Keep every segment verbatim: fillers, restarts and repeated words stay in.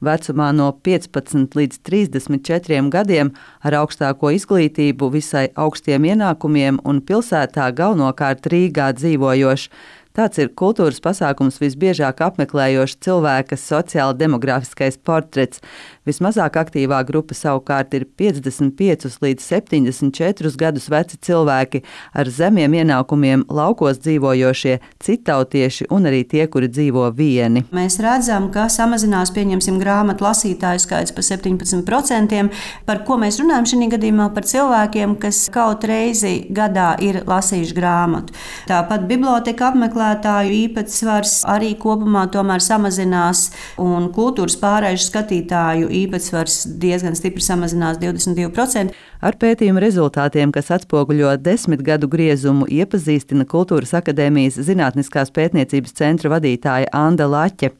Vecumā no piecpadsmit līdz trīsdesmit četriem gadiem ar augstāko izglītību, visai augstiem ienākumiem un pilsētā galvenokārt Rīgā dzīvojošs. Tāds ir kultūras pasākums visbiežāk apmeklējošs cilvēka sociāla-demogrāfiskais portrets. Vismazāk aktīvā grupa savukārt ir piecdesmit piecus līdz septiņdesmit četrus gadus veci cilvēki ar zemiem ienākumiem, laukos dzīvojošie, citautieši un arī tie, kuri dzīvo vieni. Mēs redzam, ka samazinās, pieņemsim, grāmatu lasītāju skaits par septiņpadsmit procentiem. Par ko mēs runājam šī gadījumā? Par cilvēkiem, kas kaut reizi gadā ir lasījuši grāmatu. Tāpat biblioteka apmeklētāju īpatsvars arī kopumā tomēr samazinās, un kultūras pārēžu skatītāju īpatsvars diezgan stipri samazinās divdesmit divi procenti. Ar pētījuma rezultātiem, kas atspoguļo desmit gadu griezumu, iepazīstina Kultūras akadēmijas Zinātniskās pētniecības centra vadītāja Anda Laķe.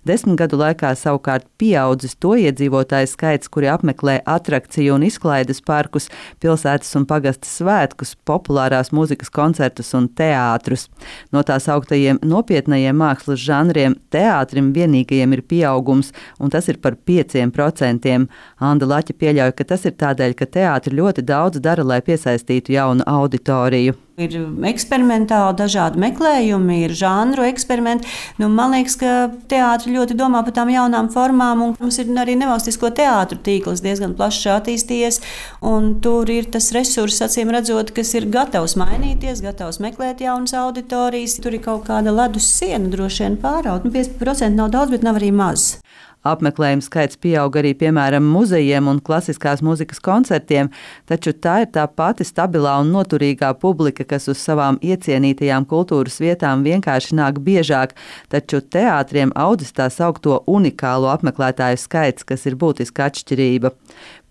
Desmit gadu laikā savukārt pieaudzis to iedzīvotāju skaits, kuri apmeklē atrakciju un izklaides parkus, pilsētas un pagastes svētkus, populārās mūzikas koncertus un teātrus. No tās augtajiem nopietnajiem mākslas žanriem teātrim vienīgajiem ir pieaugums, un tas ir par pieciem procentiem. Anda Laķe pieļauj, ka tas ir tādēļ, ka teātri ļoti daudz dara, lai piesaistītu jaunu auditoriju. Ir eksperimentāli dažādi meklējumi, ir žanru eksperimenti. Nu, man liekas, ka teātri ļoti domā par tām jaunām formām, un mums ir arī nevalstisko teātru tīkls diezgan plašs attīstījies, un tur ir tas resurss, acīm redzot, kas ir gatavs mainīties, gatavs meklēt jaunas auditorijas. Tur ir kaut kāda ledus siena droši vien pāraut. Nu, piecdesmit procenti nav daudz, bet nav arī maz. Apmeklējumu skaits pieaug arī, piemēram, muzejiem un klasiskās mūzikas koncertiem, taču tā ir tā pati stabilā un noturīgā publika, kas uz savām iecienītajām kultūras vietām vienkārši nāk biežāk, taču teātriem audzis tā saukto unikālo apmeklētāju skaits, kas ir būtiska atšķirība.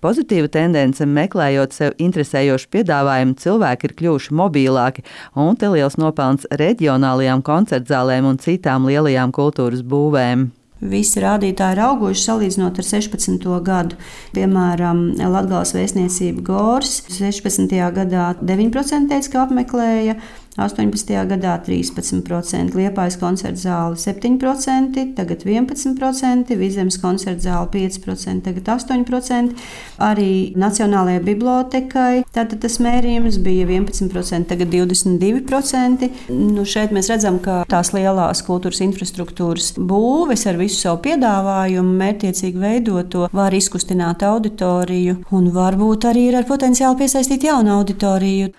Pozitīva tendence, meklējot sev interesējošu piedāvājumu, cilvēki ir kļuvuši mobilāki, un te liels nopelns reģionālajām koncertzālēm un citām lielajām kultūras būvēm. Visi rādītāji ir auguši salīdzinot ar sešpadsmito gadu. Piemēram, Latgales vēstniecība Gors sešpadsmitajā gadā deviņi procenti teica, ka apmeklēja, astoņpadsmitajā gadā trīspadsmit procenti, Liepājas koncerta zāle septiņi procenti, tagad vienpadsmit procenti, Vizemes koncerta zāle pieci procenti, tagad astoņi procenti. Arī Nacionālajai bibliotekai tātad tas mērījums bija vienpadsmit procenti, tagad divdesmit divi procenti. Nu, šeit mēs redzam, ka tās lielās kultūras infrastruktūras būves ar visu savu piedāvājumu, mērķtiecīgi veidoto, var izkustināt auditoriju un varbūt arī ir ar potenciālu piesaistīt jaunu auditoriju.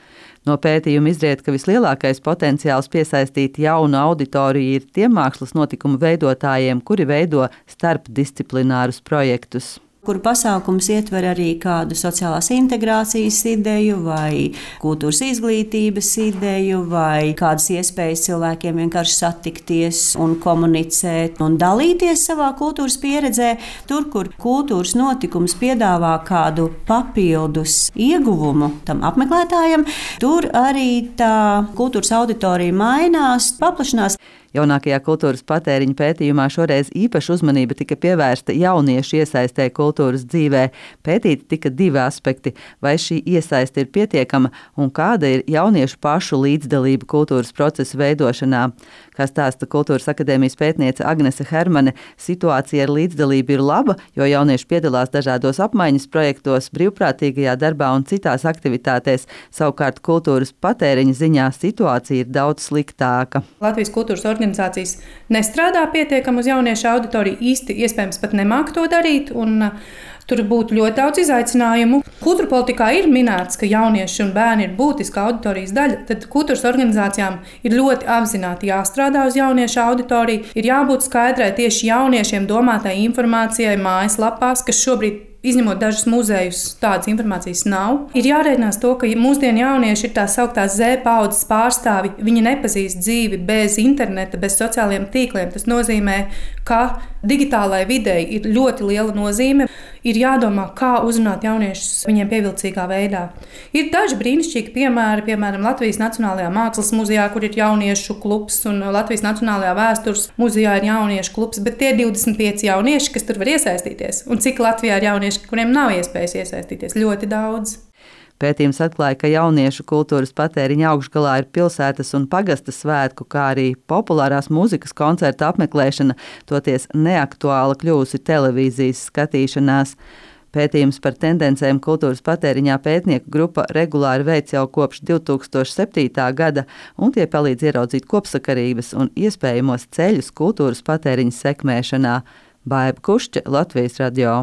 No pētījuma izriet, ka vislielākais potenciāls piesaistīt jaunu auditoriju ir tiem mākslas notikumu veidotājiem, kuri veido starpdisciplinārus projektus, kuru pasākums ietver arī kādu sociālās integrācijas ideju vai kultūras izglītības ideju vai kādas iespējas cilvēkiem vienkārši satikties un komunicēt un dalīties savā kultūras pieredzē. Tur, kur kultūras notikums piedāvā kādu papildus ieguvumu tam apmeklētājam, tur arī tā kultūras auditorija mainās, paplašinās. Jaunākajā kultūras patēriņa pētījumā šoreiz īpaša uzmanība tika pievērsta jauniešu iesaistē kultūras dzīvē. Pētīti tika divi aspekti – vai šī iesaiste ir pietiekama un kāda ir jauniešu pašu līdzdalība kultūras procesu veidošanā. Kā stāsta Kultūras akadēmijas pētniece Agnese Hermane, situācija ar līdzdalību ir laba, jo jaunieši piedalās dažādos apmaiņas projektos, brīvprātīgajā darbā un citās aktivitātēs. Savukārt kultūras patēriņa ziņā situācija ir daudz sliktāka. Latvijas kultūras organizācijas nestrādā pietiekami uz jauniešu auditoriju, īsti iespējams pat nemāk to darīt, un tur būtu ļoti daudz izaicinājumu. Kultūra politikā ir minēts, ka jaunieši un bērni ir būtiska auditorijas daļa, tad kultūras organizācijām ir ļoti apzināti jāstrādā uz jauniešu auditoriju, ir jābūt skaidrai tieši jauniešiem domātai informācijai mājaslapās, kas šobrīd, izņemot dažus muzejus, tādas informācijas nav. Ir jārēķinās to, ka mūsdienu jaunieši ir tā sauktās Z paudzes pārstāvi. Viņi nepazīst dzīvi bez interneta, bez sociālajiem tīkliem. Tas nozīmē, ka digitālai videi ir ļoti liela nozīme. Ir jādomā, kā uzrunāt jauniešus viņiem pievilcīgā veidā. Ir daži brīnišķīgi piemēri, piemēram, Latvijas Nacionālajā mākslas muzejā, kur ir jauniešu klubs, un Latvijas Nacionālajā vēstures muzejā ir jauniešu klubs, bet tie divdesmit pieci jaunieši, kas tur var iesaistīties. Un cik Latvijā ir jaunieši, kuriem nav iespējas iesaistīties? Ļoti daudz. Pētījums atklāja, ka jauniešu kultūras patēriņa augšgalā ir pilsētas un pagasta svētku, kā arī populārās mūzikas koncertu apmeklēšana, toties neaktuāla kļūsi televīzijas skatīšanās. Pētījums par tendencēm kultūras patēriņā pētnieku grupa regulāri veic jau kopš divi tūkstoši septītā gada, un tie palīdz ieraudzīt kopsakarības un iespējamos ceļus kultūras patēriņa sekmēšanā. Baiba Kušķe, Latvijas radio.